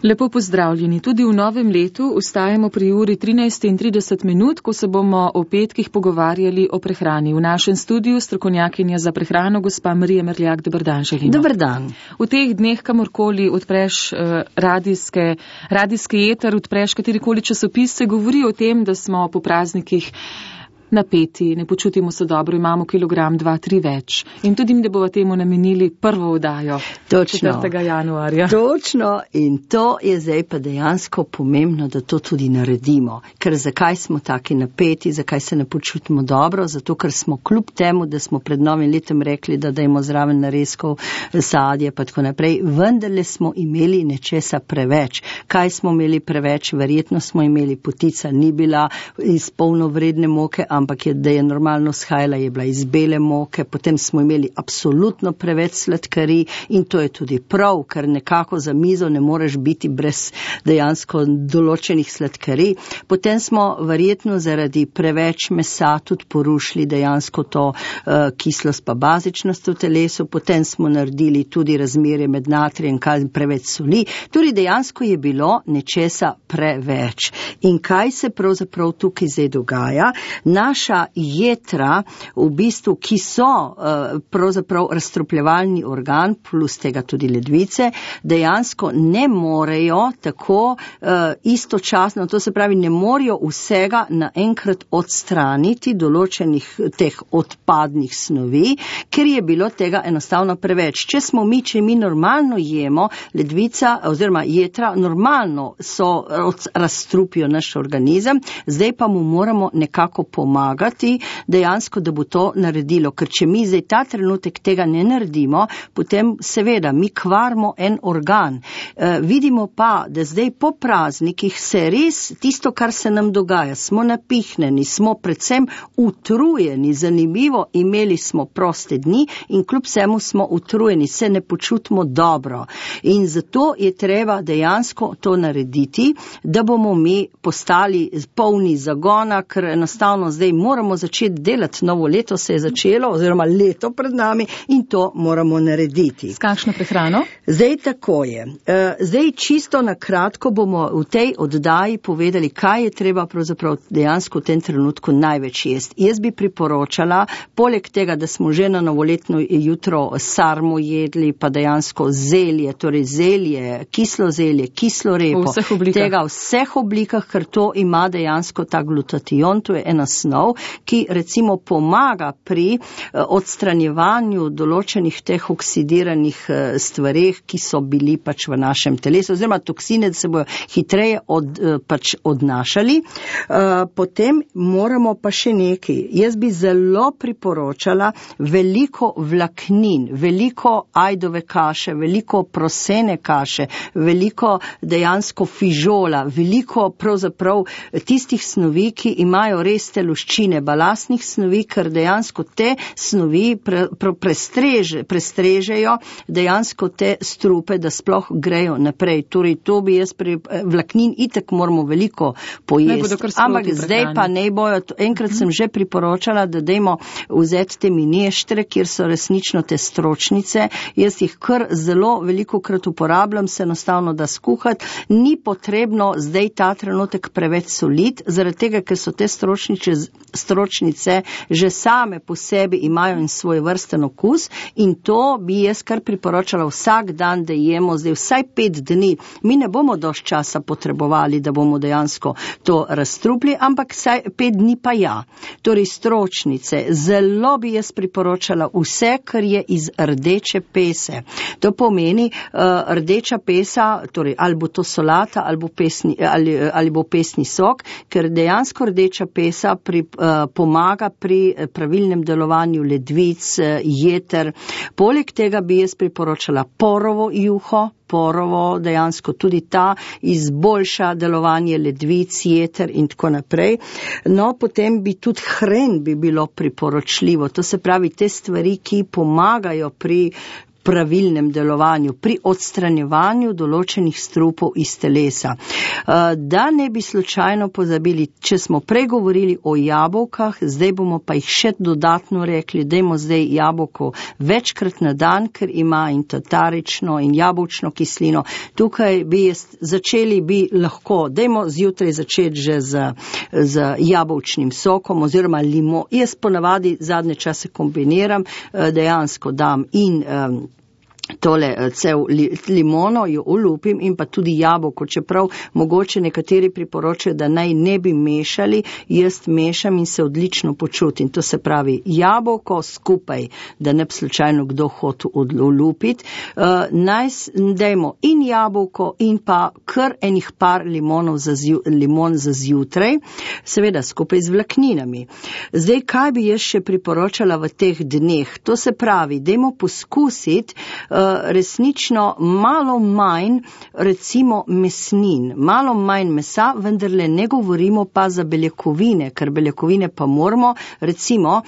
Lepo pozdravljeni. Tudi v novem letu ustajamo pri uri 13:30, ko se bomo o petkih pogovarjali o prehrani. V našem studiu strokovnjakinja za prehrano, gospa Marija Merljak. Dober dan, želimo. Dober dan. V teh dneh, kamorkoli odpreš radijski eter, odpreš katerikoli časopis, se govori o tem, da smo po praznikih napeti, ne počutimo se dobro, imamo kilogram, 2-3 več. In tudi mi, da bomo temu namenili prvo oddajo 4. januarja. Točno, in to je zdaj pa dejansko pomembno, da to tudi naredimo. Ker zakaj smo taki napeti, zakaj se ne počutimo dobro? Zato, ker smo kljub temu, da smo pred novim letom rekli, da dajmo zraven narezkov, sadje pa tako naprej, vendarle smo imeli nečesa preveč. Kaj smo imeli preveč? Verjetno smo imeli, potica ni bila iz polnovredne moke, ampak da je normalno shajala, je bila iz bele moke, potem smo imeli absolutno preveč sladkarij in to je tudi prav, ker nekako za mizo ne moreš biti brez dejansko določenih sladkarij. Potem smo verjetno zaradi preveč mesa tudi porušili dejansko to kislost pa bazičnost v telesu, potem smo naredili tudi razmerje med natrijem in preveč soli, tudi dejansko je bilo nečesa preveč. In kaj se pravzaprav tukaj zdaj dogaja? Naša jetra, v bistvu, ki so pravzaprav razstropljevalni organ, plus tega tudi ledvice, dejansko ne morejo tako istočasno, to se pravi, ne morejo vsega naenkrat odstraniti določenih teh odpadnih snovi, ker je bilo tega enostavno preveč. Če mi normalno jemo, ledvica oziroma jetra normalno razstrupijo naš organizem, zdaj pa mu moramo nekako pomagati dejansko, da bo to naredilo. Ker če mi zdaj ta trenutek tega ne naredimo, potem seveda mi kvarimo en organ. Vidimo pa, da zdaj po praznikih se res tisto, kar se nam dogaja, smo napihnjeni, smo predvsem utrujeni, zanimivo, imeli smo proste dni in kljub vsemu smo utrujeni, se ne počutimo dobro. In zato je treba dejansko to narediti, da bomo mi postali polni zagona, ker enostavno zdaj moramo začeti delati, novo leto se je začelo, oziroma leto pred nami in to moramo narediti. S kakšno prehrano? Zdaj tako je. Zdaj čisto na kratko bomo v tej oddaji povedali, kaj je treba pravzaprav dejansko v tem trenutku največ jesti. Jaz bi priporočala, poleg tega, da smo že na novoletno jutro sarmo jedli, pa dejansko zelje, torej zelje, kislo repo, tega v vseh oblikah, ker to ima dejansko ta glutation, to je ena snov, ki recimo pomaga pri odstranjevanju določenih teh oksidiranih stvareh, ki so bili pač v našem telesu, oziroma toksine, da se bojo hitreje odnašali. Potem moramo pa še nekaj. Jaz bi zelo priporočala veliko vlaknin, veliko ajdove kaše, veliko prosene kaše, veliko dejansko fižola, veliko pravzaprav tistih snovi, ki imajo res teluščine, balastnih snovi, ker dejansko te snovi prestrežejo dejansko te strupe, da sploh grejo naprej. Torej, to bi jaz vlaknin itak moramo veliko pojesti. Ampak zdaj pa ne bojo, enkrat sem že priporočala, da dajmo vzeti te mineštre, kjer so resnično te stročnice. Jaz jih kar zelo veliko krat uporabljam, se enostavno da skuhati. Ni potrebno zdaj ta trenutek preveč soliti, zaradi tega, ker so te stročnice že same po sebi imajo in svoj vrsten okus in to bi jaz kar priporočala vsak dan, da jemo zdaj vsaj 5 dni. Mi ne bomo dosti časa potrebovali, da bomo dejansko to razstrupli, ampak vsaj 5 dni pa ja. Torej stročnice, zelo bi jaz priporočala vse, kar je iz rdeče pese. To pomeni rdeča pesa, torej ali bo to solata ali bo pesni sok, ker dejansko rdeča pesa pomaga pri pravilnem delovanju ledvic, jeter. Poleg tega bi jaz priporočala porovo juho, dejansko tudi ta izboljša delovanje ledvic, jeter in tako naprej. No, potem bi tudi hren bi bilo priporočljivo. To se pravi te stvari, ki pomagajo pri pravilnem delovanju, pri odstranjevanju določenih strupov iz telesa. Da ne bi slučajno pozabili, če smo prej govorili o jabolkah, zdaj bomo pa jih še dodatno rekli, dajmo zdaj jabolko večkrat na dan, ker ima in tatarično in jabolčno kislino. Tukaj začeli bi lahko, dajmo zjutraj začeti že z jabolčnim sokom oziroma limo. Jaz ponavadi zadnje čase kombiniram, dejansko dam in tole cel limono jo olupim in pa tudi jabolko, čeprav mogoče nekateri priporočajo, da naj ne bi mešali, jaz mešam in se odlično počutim. To se pravi jabolko skupaj, da ne bi slučajno kdo hotel olupiti. Dajmo in jabolko in pa kar enih par limon za zjutraj, seveda skupaj z vlakninami. Zdaj, kaj bi jaz še priporočala v teh dneh? To se pravi, dajmo poskusiti resnično malo manj, recimo mesnin, malo manj mesa, vendarle ne govorimo pa za beljakovine, ker beljakovine pa moramo, recimo,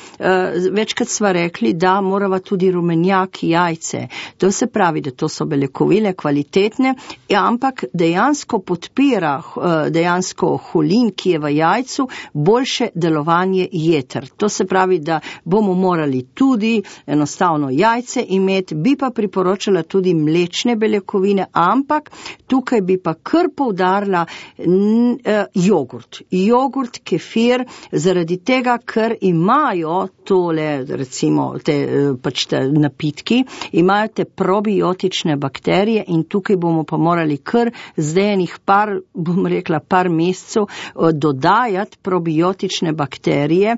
večkrat sva rekli, da morava tudi rumenjak, jajce. To se pravi, da to so beljakovine kvalitetne, ampak dejansko podpira dejansko holin, ki je v jajcu, boljše delovanje jeter. To se pravi, da bomo morali tudi enostavno jajce imeti, bi pa priporočala tudi mlečne beljakovine, ampak tukaj bi pa kar poudarila jogurt. Jogurt, kefir, zaradi tega, ker imajo tole, recimo, te napitki, imajo te probiotične bakterije in tukaj bomo pa morali kar zdaj enih par mesecev dodajati probiotične bakterije,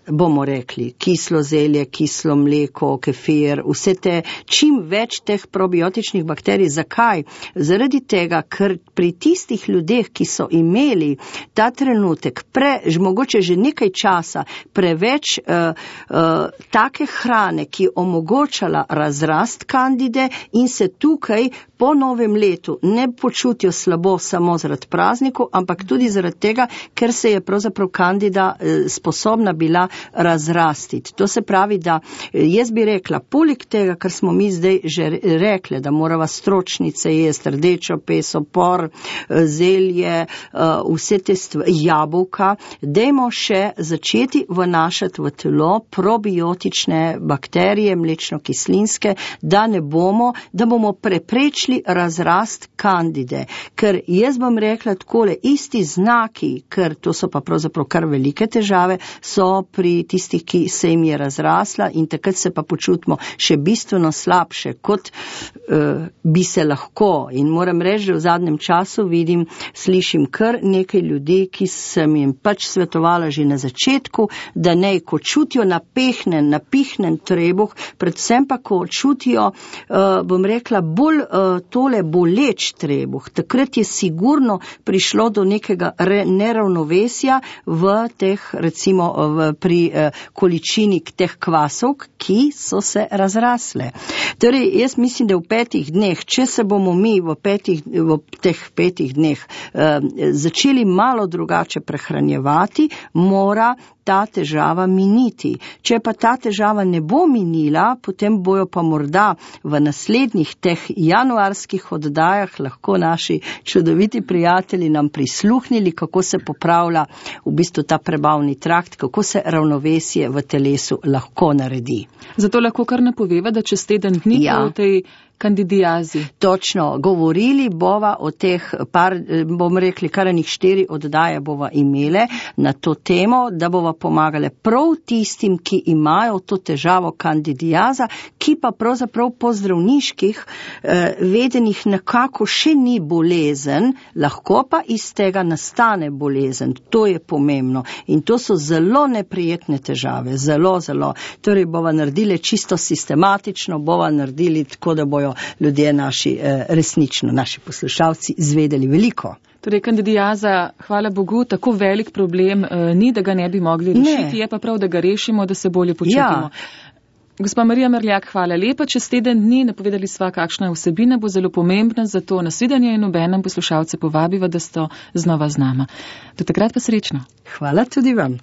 bomo rekli, kislo zelje, kislo mleko, kefir, vse te, čim več teh probiotičnih bakterij. Zakaj? Zaradi tega, ker pri tistih ljudeh, ki so imeli ta trenutek mogoče že nekaj časa preveč take hrane, ki omogočala razrast kandide in se tukaj po novem letu ne počutijo slabo samo zaradi praznikov, ampak tudi zaradi tega, ker se je pravzaprav kandida sposobna bila razrastiti. To se pravi, da jaz bi rekla, poleg tega, kar smo mi zdaj že rekli, da morava stročnice jesti, rdečo peso, por, zelje, vse te jabolka, dajmo še začeti vnašati v telo probiotične bakterije, mlečno-kislinske, da bomo preprečili razrast kandide. Ker jaz bom rekla takole, isti znaki, ker to so pa pravzaprav kar velike težave, so pri tistih, ki se jim je razrasla in takrat se pa počutimo še bistveno slabše, kot bi se lahko. In moram reči, da v zadnjem času slišim kar nekaj ljudi, ki sem jim pač svetovala že na začetku, da ne, ko čutijo napihnen trebuh, predvsem pa, ko čutijo, bom rekla, bolj tole boleč trebuh. Takrat je sigurno prišlo do nekega neravnovesja v teh, recimo, pri količini teh kvasov, ki so se razrasle. Torej, jaz mislim, da v 5 dneh, če se bomo mi v teh 5 dneh začeli malo drugače prehranjevati, mora ta težava miniti. Če pa ta težava ne bo minila, potem bojo pa morda v naslednjih teh januarskih oddajah lahko naši čudoviti prijatelji nam prisluhnili, kako se popravlja v bistvu ta prebavni trakt, kako se ravnovesje v telesu lahko naredi. Zato lahko kar napoveva, da čez teden dni o tej kandidiazi. Točno, govorili bova o teh bomo rekli, kar enih 4 oddaje bova imele na to temo, da bova pomagale prav tistim, ki imajo to težavo kandidiaza, ki pa pravzaprav po zdravniških vedenih nekako še ni bolezen, lahko pa iz tega nastane bolezen. To je pomembno. In to so zelo neprijetne težave. Zelo, zelo. Torej bova naredili čisto sistematično, bova naredili tako, da bojo ljudje resnično, naši poslušalci, zvedeli veliko. Torej, kandidiaza, hvala Bogu, tako velik problem ni, da ga ne bi mogli rešiti, je pa prav, da ga rešimo, da se bolje počutimo. Gospa Marija Merljak, hvala lepa. Čez teden dni napovedali sva, kakšna vsebina bo zelo pomembna, zato nasvidenje in obenem poslušalce povabiva, da ste znova z nama. Do takrat pa srečno. Hvala tudi vam.